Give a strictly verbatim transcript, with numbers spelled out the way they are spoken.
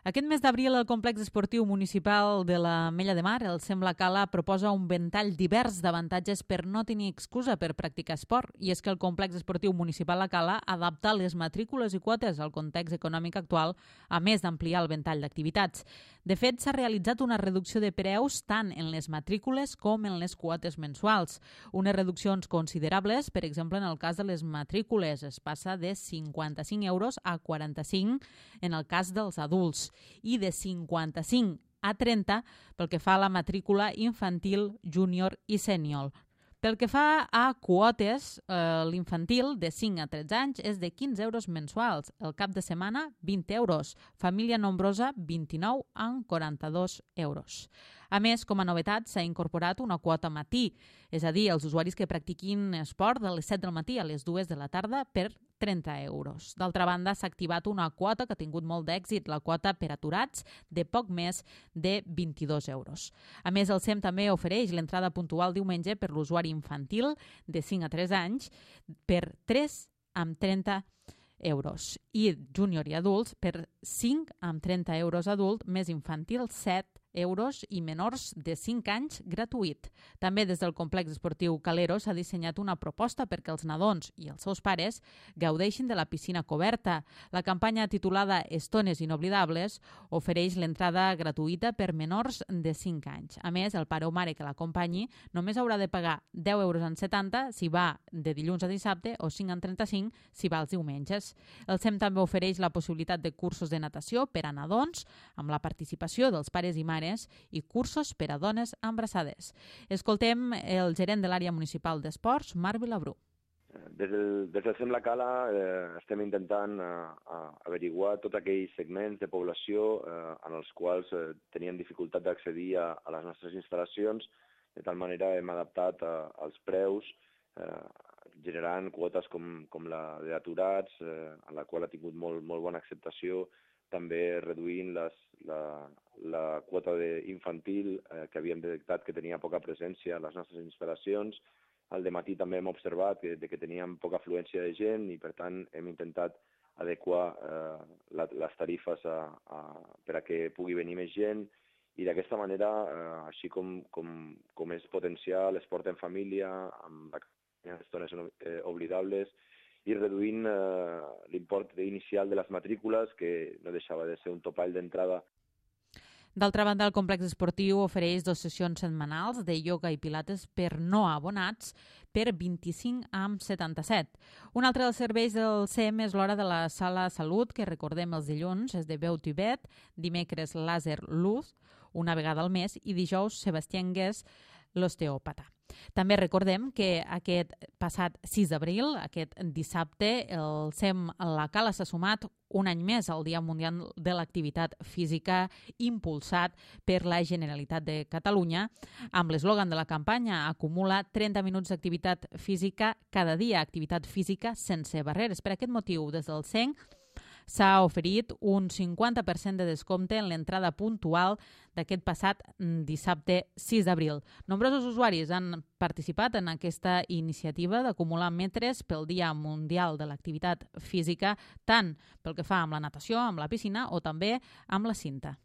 Aquest mes d'abril, el complex esportiu municipal de la Mella de Mar, el Sembla Cala, proposa un ventall divers d'avantatges per no tenir excusa per practicar esport. I és que el complex esportiu municipal La Cala adapta les matrícules i quotes al context econòmic actual, a més d'ampliar el ventall d'activitats. De fet, s'ha realitzat una reducció de preus tant en les matrícules com en les quotes mensuals. Unes reduccions considerables, per exemple, en el cas de les matrícules, es passa de cinquanta-cinc euros a quaranta-cinc en el cas dels adults i de cinquanta-cinc a trenta pel que fa a la matrícula infantil, júnior i sènior. Pel que fa a quotes, eh, l'infantil de cinc a tretze anys és de quinze euros mensuals, el cap de setmana vint euros, família nombrosa vint-i-nou amb quaranta-dos euros. A més, com a novetat, s'ha incorporat una quota matí, és a dir, els usuaris que practiquin esport de les set del matí a les dues de la tarda per trenta euros. D'altra banda, s'ha activat una quota que ha tingut molt d'èxit, la quota per aturats, de poc més de vint-i-dos euros. A més, el S E M també ofereix l'entrada puntual diumenge per l'usuari infantil de cinc a tres anys per tres amb trenta euros i júnior i adults per cinc amb trenta euros adult més infantil set euros i menors de cinc anys gratuït. També des del complex esportiu Calero s'ha dissenyat una proposta perquè els nadons i els seus pares gaudeixin de la piscina coberta. La campanya titulada Estones inoblidables ofereix l'entrada gratuïta per menors de cinc anys. A més, el pare o mare que l'acompanyi només haurà de pagar deu euros en setanta si va de dilluns a dissabte o cinc en trenta-cinc si va els diumenges. El S E M també ofereix la possibilitat de cursos de natació per a nadons amb la participació dels pares i mares i cursos per a dones embarassades. Escoltem el gerent de l'àrea municipal d'esports, Marc Vilabrú. Des del, des del S E M La Cala eh, estem intentant eh, averiguar tots aquells segments de població eh, en els quals eh, tenien dificultat d'accedir a, a les nostres instal·lacions. De tal manera hem adaptat eh, els preus eh, generant quotes com, com la d'aturats, eh, en la qual ha tingut molt, molt bona acceptació, també reduint les, la, la quota infantil eh, que havíem detectat que tenia poca presència a les nostres instal·lacions. Al dematí també hem observat que, que teníem poca afluència de gent i, per tant, hem intentat adequar eh, la, les tarifes a, a, per a que pugui venir més gent i d'aquesta manera, eh, així com, com, com és potenciar l'esport en família, amb les estones eh, oblidables, i reduint eh, l'import inicial de les matrícules, que no deixava de ser un topall d'entrada. D'altra banda, el complex esportiu ofereix dues sessions setmanals de ioga i pilates per no abonats per vint-i-cinc amb setanta-set. Un altre dels serveis del S E M és l'hora de la sala salut, que recordem els dilluns és de veu tibet, dimecres làser luz, una vegada al mes, i dijous Sebastià Anguès, l'osteòpata. També recordem que aquest passat sis d'abril, aquest dissabte, el S E M La Cala s'ha sumat un any més al Dia Mundial de l'Activitat Física impulsat per la Generalitat de Catalunya amb l'eslògan de la campanya acumula trenta minuts d'activitat física cada dia, activitat física sense barreres. Per aquest motiu, des del S E M s'ha oferit un cinquanta per cent de descompte en l'entrada puntual d'aquest passat dissabte sis d'abril. Nombrosos usuaris han participat en aquesta iniciativa d'acumular metres pel Dia Mundial de l'Activitat Física, tant pel que fa amb la natació, amb la piscina o també amb la cinta.